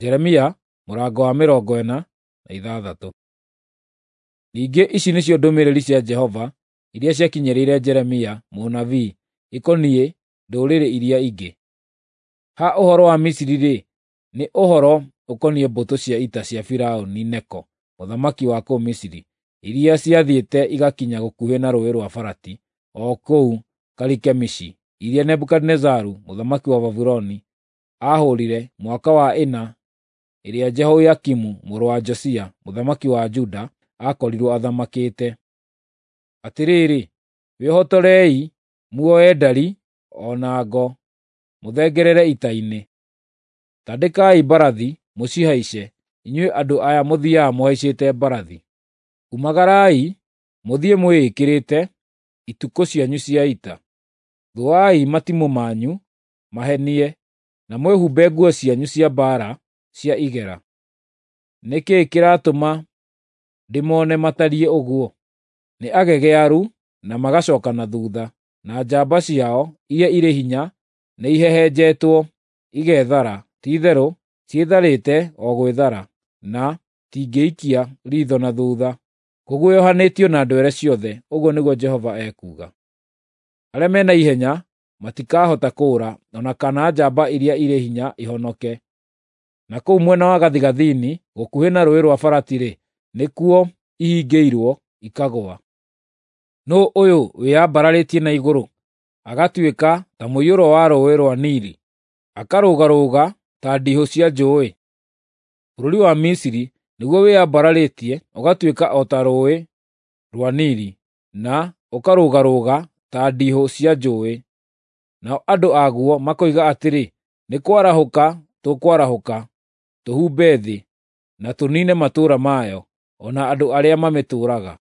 Jeremia mũrango wa 46. Ningĩ ici nĩcio ndũmĩrĩri cia Jehova iria ciakinyĩrĩire Jeremia mũnabii ikoniĩ ndũrĩrĩ iria ingĩ. Ha ũhoro wa Misiri-rĩ, nĩ ũhoro ũkoniĩ mbũtũ cia ita cia Firaũni Neko mũthamaki wa kũu Misiri, iria ciathiĩte igakinya gũkuhĩ na Rũũĩ rwa Farati o kũu Karikemishi, iria Nebukadinezaru mũthamaki wa Babuloni aahũũrire mwaka wa ĩna ĩrĩa Jehoiakimu mũrũ wa Josia mũthamaki wa Juda aakorirwo athamakĩte. Atĩrĩrĩ, wĩhotorei muoe ndari o na ngo, mũthengerere ita-inĩ. Tandĩkai mbarathi mũcihaice, inyuĩ andũ aya mũthiiaga mũhaicĩte mbarathi. Umagarai mũthiĩ mwĩĩkĩrĩte itukũ cianyu cia ita. Thũai matimũ manyu mahenie, na mwĩhumbe nguo cianyu cia mbaara cia igera. Nĩ kĩĩ kĩratũma ndĩmone matariĩ ũguo? Nĩ agegearu na magacooka na thuutha, na njamba ciao iria irĩ hinya nĩihehenjetwo igethara. Ti-itherũ ciĩtharĩte o gwĩthara, na itingĩikia riitho na thuutha. Kũguoyohanĩtio na ndwere ciothe, ũguo nĩguo Jehova ekuuga. Arĩa mena ihenya matikahota kũũra, o na kana njamba iria irĩ hinya ihonoke. Na kũu mwena wa gathigathini gũkuhĩ na Rũũĩ rwa Farati-rĩ, nĩkuo ihingĩirwo ikagũa. Nũũ ũyũ wĩyambararĩtie na igũrũ, agatuĩka ta mũiyũro wa Rũũĩ rwa Nili, akarũgarũga ta ndihũ cia njũũĩ? Bũrũri wa Misiri nĩguo wĩyambararĩtie ũgatuĩka o ta Rũũĩ rwa Nili, na ũkarũgarũga ta ndihũ cia njũũĩ. Nao andũ aguo makoiga atĩrĩ, ‘Nĩ kwarahũka tũkwarahũka tũhumbe thĩ, na tũniine matũũra mayo, o na andũ arĩa mamĩtũũraga.’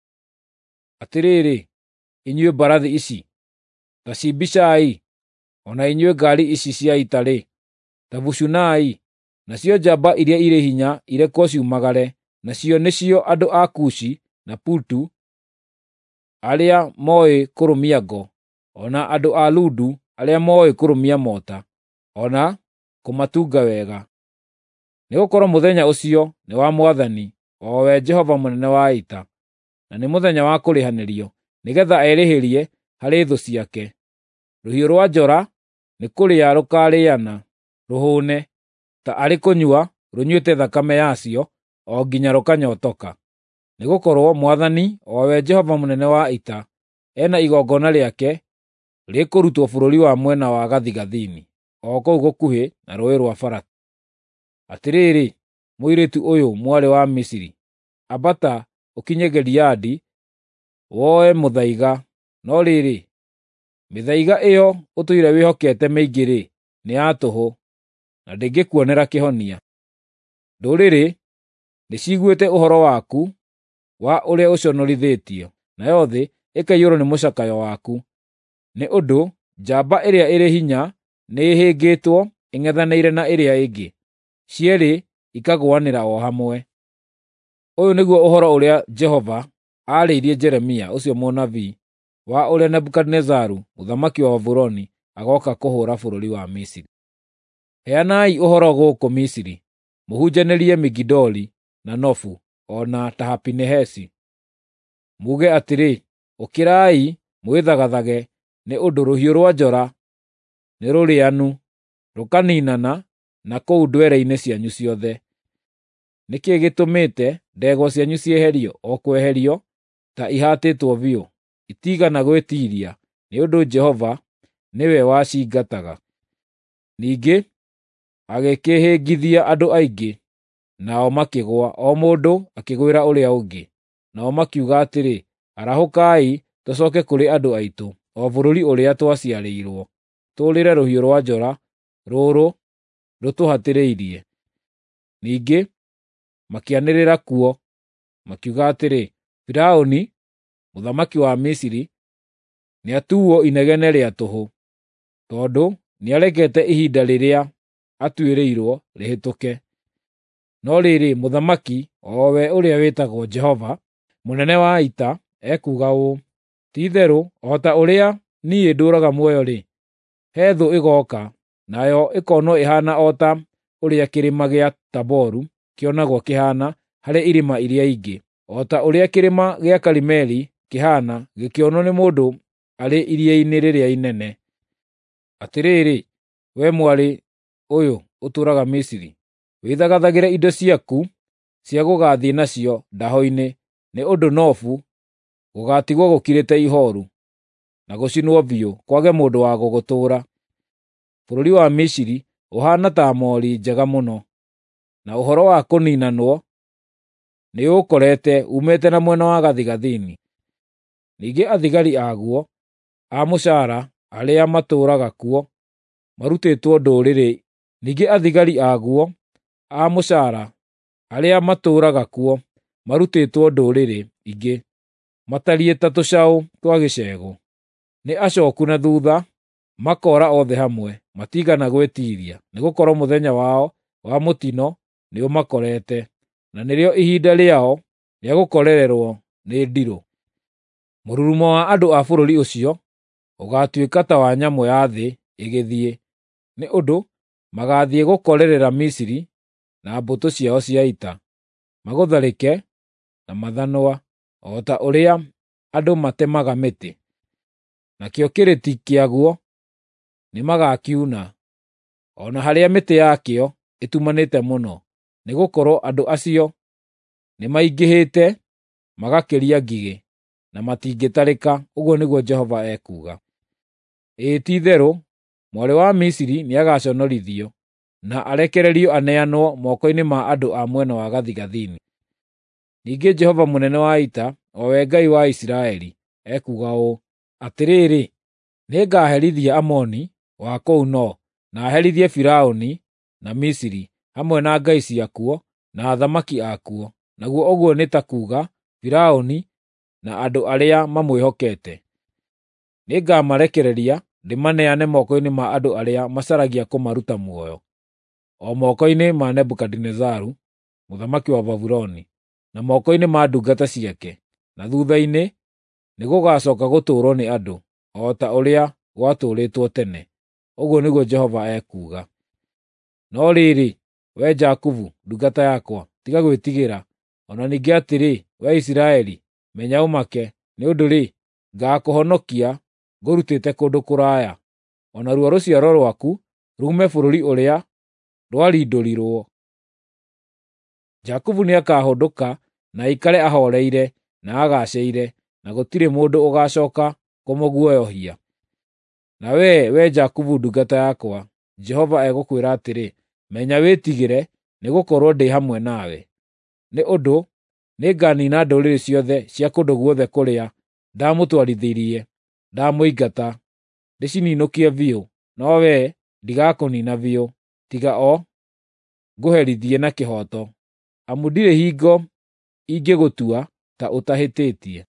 Atĩrĩrĩ, inyuĩ mbarathi ici, ta cimbicai, o na inyuĩ ngaari ici cia ita-rĩ, ta bucunai! Nacio njamba iria irĩ hinya irekwo ciumagare, nacio nĩcio andũ a Kushi na Putu arĩa mooĩ kũrũmia ngo, o na andũ a Ludu arĩa mooĩ kũrũmia mota, o na kũmatunga wega. Nĩgũkorwo mũthenya ũcio nĩ wa Mwathani, o we Jehova mũnene wa ita, na nĩ mũthenya wa kũrĩhanĩrio, nĩgeetha erĩhĩrie harĩ thũ ciake. Rũhiũ rwa njora nĩkũrĩa rũkaarĩana rũhũũne, ta arĩ kũnyua rũnyuĩte thakame yacio o nginya rũkanyootoka. Nĩgũkorwo Mwathani, o we Jehova mũnene wa ita, e na igongona rĩake rĩkũrutwo bũrũri wa mwena wa gathigathini, o kũu gũkuhĩ na Rũũĩ rwa Farati. Atĩrĩrĩ, mũirĩtu ũyũ mwarĩ wa Misiri, ambata ũkinye Gileadi woe mũthaiga. No rĩrĩ, mĩthaiga ĩyo ũtũire wĩhokete mĩingĩ-rĩ, nĩ ya tũhũ, na ndĩngĩkuonera kĩhonia. Ndũrĩrĩ nĩciguĩte ũhoro waku wa ũrĩa ũconorithĩtio, nayo thĩ ĩkaiyũrwo nĩ mũcakayo waku, nĩ ũndũ njamba ĩrĩa ĩrĩ hinya nĩĩhĩngĩtwo ĩng'ethanĩire na ĩrĩa ĩngĩ, cierĩ ikagũanĩra o hamwe. Ũyũ nĩguo ũhoro ũrĩa Jehova aarĩirie Jeremia ũcio mũnabii wa ũrĩa Nebukadinezaru mũthamaki wa Babuloni agooka kũhũũra bũrũri wa Misiri. Heanai ũhoro gũkũ Misiri, mũhunjanĩrie Migidoli na Nofu o na Tahapinehesi. Muuge atĩrĩ, “Ũkĩrai mwĩthagathage, nĩ ũndũ rũhiũ rwa njora nĩrũrĩanu, rũkaniinana na kũu ndwere-inĩ cianyu ciothe. Nĩ kĩĩ gĩtũmĩte ndegwa cianyu cieherio o kweherio ta ihatĩtwo biũ? Itiigana gwĩtiiria, nĩ ũndũ Jehova nĩwe wacingataga. Ningĩ agĩkĩhĩngithia andũ aingĩ, nao makĩgũa, o mũndũ akĩgwĩra ũrĩa ũngĩ. Nao makiuga atĩrĩ, ‘Arahũkai tũcooke kũrĩ andũ aitũ, o bũrũri ũrĩa twaciarĩirwo, tũũrĩre rũhiũ rwa njora rũrũ rũtũhatĩrĩirie.’ Ningĩ makĩanĩrĩra kuo makiuga atĩrĩ, ‘Firaũni mũthamaki wa Misiri nĩatuuo inegene rĩa tũhũ, tondũ nĩarekete ihinda rĩrĩa atuĩrĩirwo rĩhĩtũke.’ No rĩrĩ, mũthamaki, o we ũrĩa wĩtagwo Jehova mũnene wa ita, ekuuga ũũ: Ti-itherũ o ta ũrĩa niĩ ndũũraga muoyo-rĩ, he thũ ĩgooka, nayo ĩkoonwo ĩhaana o ta ũrĩa kĩrĩma gĩa Taboru kĩonagwo kĩhaana harĩ irĩma iria ingĩ, o ta ũrĩa kĩrĩma gĩa Karimeli kĩhaana gĩkĩonwo nĩ mũndũ arĩ iria-inĩ rĩrĩa inene. Atĩrĩrĩ, wee mwarĩ ũyũ ũtũũraga Misiri, wĩthagathagĩre indo ciaku cia gũgaathiĩ nacio ndaho-inĩ, nĩ ũndũ Nofu gũgaatigwo gũkirĩte ihooru, na gũcinwo biũ, kwage mũndũ wa gũgũtũũra. Bũrũri wa Misiri ũhaana ta moori njega mũno, na ũhoro wa kũniinanwo nĩũũkorete uumĩte na mwena wa gathigathini. Ningĩ athigari aguo a mũcaara arĩa matũũraga kuo marutĩtwo ndũrĩrĩ ningĩ athigari aguo a mũcaara arĩa matũũraga kuo marutĩtwo ndũrĩrĩ ingĩ matariĩ ta tũcaũ twa gĩcegũ. Nĩ acooku na thuutha, makoora othe hamwe, matiigana gwĩtiiria, nĩgũkorwo mũthenya wao wa mũtino nĩũmakorete, na nĩrĩo ihinda rĩao rĩa gũkorererwo nĩ ndirũ. Mũrurumo wa andũ a bũrũri ũcio ũgaatuĩka ta wa nyamũ ya thĩ ĩgĩthiĩ, nĩ ũndũ magaathiĩ gũkorerera Misiri na mbũtũ ciao cia ita, magũtharĩke na mathanwa, o ta ũrĩa andũ matemaga mĩtĩ. Nakĩo kĩrĩti kĩaguo nĩmagakiuna, o na harĩa mĩtĩ yakĩo ĩtumanĩte mũno, nĩgũkorwo andũ acio nĩmaingĩhĩte magakĩria ngigĩ, na matingĩtarĩka, ũguo nĩguo Jehova ekuuga. Ĩĩ ti-itherũ, mwarĩ wa Misiri nĩagaconorithio, na arekererio aneanwo moko-inĩ ma andũ a mwena wa gathigathini. Ningĩ Jehova mũnene wa ita, o we Ngai wa Isiraeli, ekuuga ũũ: Atĩrĩrĩ, nĩngaherithia Amoni wa kũu No, na herithie Firaũni na Misiri, hamwe na ngai ciakuo na athamaki akuo, naguo ũguo nĩ ta kuuga Firaũni na andũ arĩa mamwĩhokete. Nĩngamarekereria ndĩmaneane moko-inĩ ma andũ arĩa macaragia kũmaruta muoyo, o moko-inĩ ma Nebukadinezaru mũthamaki wa Babuloni, na moko-inĩ ma ndungata ciake, na thuutha-inĩ nĩgũgacooka gũtũũrwo nĩ andũ, o ta ũrĩa gwatũũrĩtwo tene, ũguo nĩguo Jehova ekuuga. No rĩrĩ, wee Jakubu, ndungata yakwa, tiga gwĩtigĩra, o na ningĩ atĩrĩ, wee Isiraeli, menya ũmake, nĩ ũndũ-rĩ, ngaakũhonokia ngũrutĩte kũndũ kũraya, o naruo rũciaro rwaku ruume bũrũri ũrĩa rwarindũrirwo. Jakubu nĩakahũndũka na aikare ahooreire na agaacĩire, na gũtirĩ mũndũ ũgaacooka kũmũguoyohia. Na wee, wee Jakubu ndungata yakwa, Jehova egũkwĩra atĩrĩ, menya wĩtigĩre, nĩgũkorwo ndĩ hamwe nawe. Nĩ ũndũ nĩnganiina ndũrĩrĩ ciothe cia kũndũ guothe kũrĩa ndamũtwarithirie ndamũingata, ndĩcininũkie biũ, no wee ndigakũniina biũ, tiga o ngũherithie na kĩhooto, amu ndirĩ hingo ingĩgũtua ta ũtahĩtĩtie.